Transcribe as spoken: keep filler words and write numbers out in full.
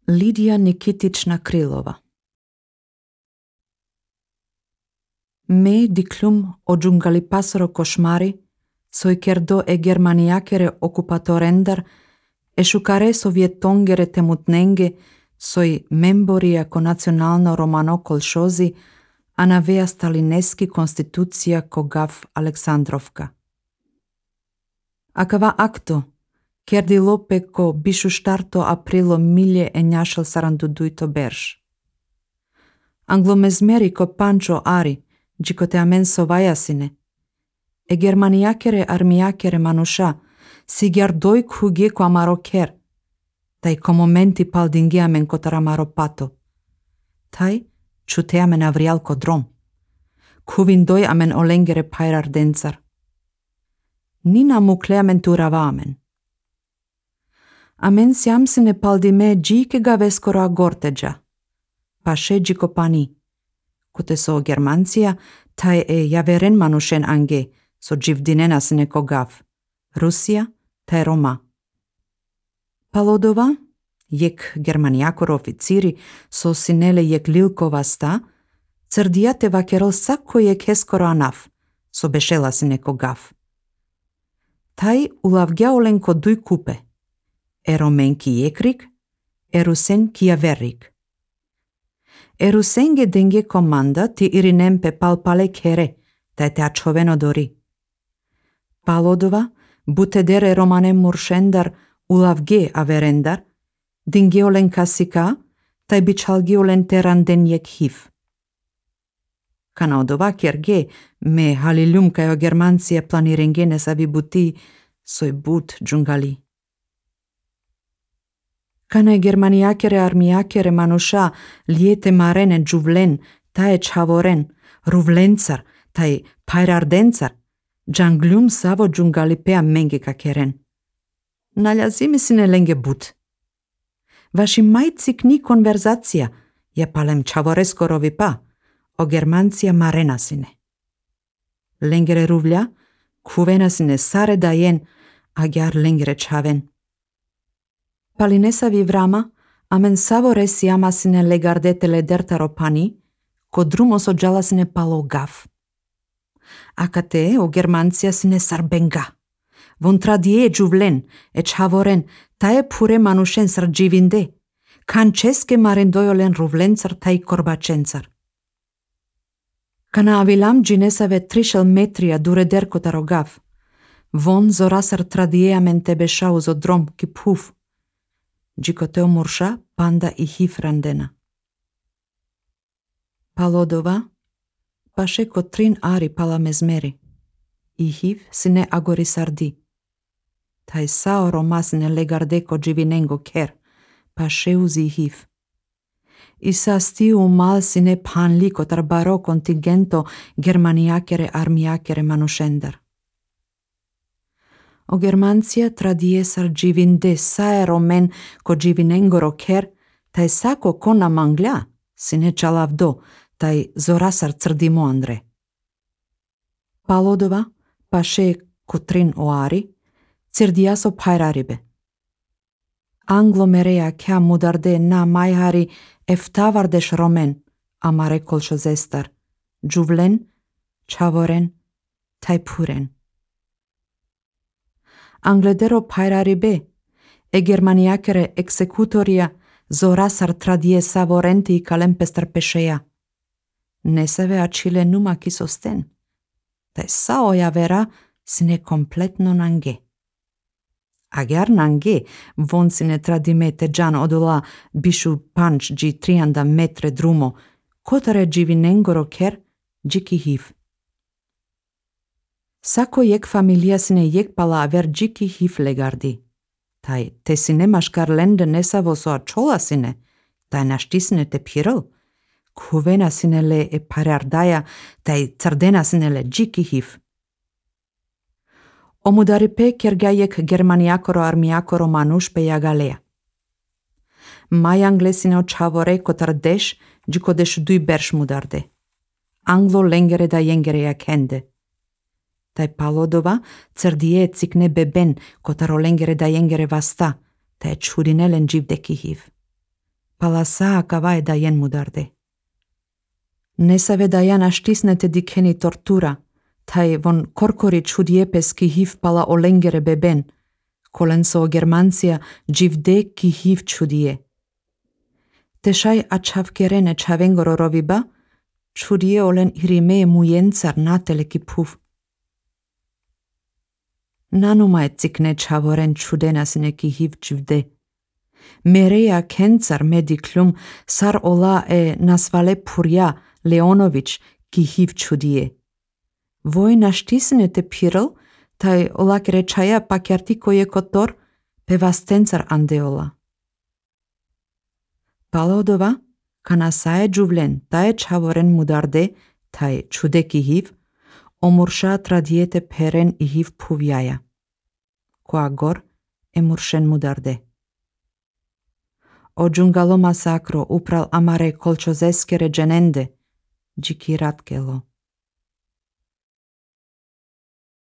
Lidija Nikitična Krilova. Me diklum o giungali pasoro košmari, soi kerdo e germaniakere okupatorendar, e šukare sovjetongere temutnenge, soi memboria ko nacionalno romano kolšozi, a navea stalineski konstitucija ko gav Aleksandrovka. Akava akto, kerdi lope ko bišu štarto aprilo milje e njašal saranduduito berš. Anglomezmeri ko pančo ari, džiko te amen sovajasine, e germaniakere armiakere manuša, si gjardoj khuge ko amaro ker, taj ko momenti pal dingi amen ko taramaro pato. Taj čute amen avrial ko drom. Kuvindoj amen olengere pajrar dencar. Nina mukle amen turava amen. Amen siamsine pal di me džike ga veskoro agorteđa. Paše džiko pani. Kute so Germancija, taj e javeren manušen ange, so dživdinena sine ko gav. Rusija, taj Roma. Palodova, jek germanijakor oficiri, so sinele jek lilkova sta, crdijate vakerol sako jek heskoro anaf, so bešela sine ko gav. Taj ulavgjaolen ko duj kupe, e romen ki jekrik, e rusen ki javerrik. E rusenge denge komanda ti irinempe palpale kere, taj te ačoveno dori. Palodova, butedere romane muršendar, ulavge averendar, dingiolen kasika, taj bičalgiolen teranden jek hiv. Kanaodova kerge, me halilum kajo Germancija planirengene savi buti, soj but džungali. Kana germaniakere armiakere manuša lijete marene džuvlen, taj čavoren, ruvlencar, taj pajrardencar, džanglum savo džungali pea menge kakeren. Naljazimi sine lenge but. Vaši majcik ni konverzacija, je palem čavoreskorovi pa, o Germancija marena sine. Lengere ruvlja, kuvena sine sare dajen, a gjar lengere čaven. Palinesavi vrama, amen savo resi ama sine legardetele dertaro pani, ko drumo so džala sine palo gav. Akate o Germancija sine sarbenga. Von tradie džuvlen, e čavoren, taje pure manušen sar dživinde, kan česke marendojolen ruvlencar taj korbačencar. Kana avilam džinesave trišel metrija dure derko taro gav, von zorasar tradie amen tebe šau zo drom ki puf, džiko teo murša panda i hiv randena. Palodova, paše ko trin ari pala mezmeri, i hiv sine agori sardi. Taj sao Roma sine legarde ko dživinengo ker, paše uzi hiv. I sa stiu mal sine panli ko tar baro kontingento germaniakere armiakere manušendar. O Germancija tradie sar dživinde sae romen ko dživinengoro ker, taj sako kona manglja, sine čalavdo, taj zorasar crdimo andre. Palodova, paše kotrin oari, cirdiaso pajraribe. Anglomerea kea mudarde na majhari eftavardesh romen, amare kolšo zestar, džuvlen, čavoren, taj puren. Angledero pajraribe, e germaniakere executoria zorasar tradie savorenti i kalempestar pešeja. Neseve acile numa ki sosten. Taj sao javera sine kompletno nange. Agar nange, von sine tradimete džan odola bišu panč dži trianda metre drumo, kotare dživinengoro ker džiki hiv. Sako jek familia sine jek pala aver džiki hiv legardi. Taj te sine maškar lende nesavo so ačola sine, taj našti sine te pirel. Kuvena sine le e parardaja, taj cardena sine le džiki hiv. Omudaripe kergajek germaniakoro armiakoro manušpe jagalea. Majangle sine očavore kotar deš, džiko deš duj berš mudarde. Anglo lengere da jengere jakende. Taj palodova crdije cikne beben kotar olengere da jengere vasta, taj čudinelen dživdeki hiv. Palasa acavae daien mudarde. Ne save daiana štisnete dikeni tortura, tai von korkori čudiepes ki hiv pala olengere beben, kolenso Germanția givde ki hiv čudie. Teșai achavkerene chavengoro roviba, čudie olen irime mujencar natele ki puv. Nanuma cikne čavoren čudenasne ki hiv čivde. Mereja kencar mediklum sar ola e nasvale puria Leonović ki hiv čudie. Voi naštisne te pirl, tai olak rechaja pakiartiko je kotor, pe vastencar andeola. Palodova, kanasae juvlen, tae čavoren mudarde, tai čude ki hiv, omurša tradiete peren i hiv puvjaja. Coagor emuršen mudarde. O giungalo masacro upral amare colciosescere genende, gichi ratkelo.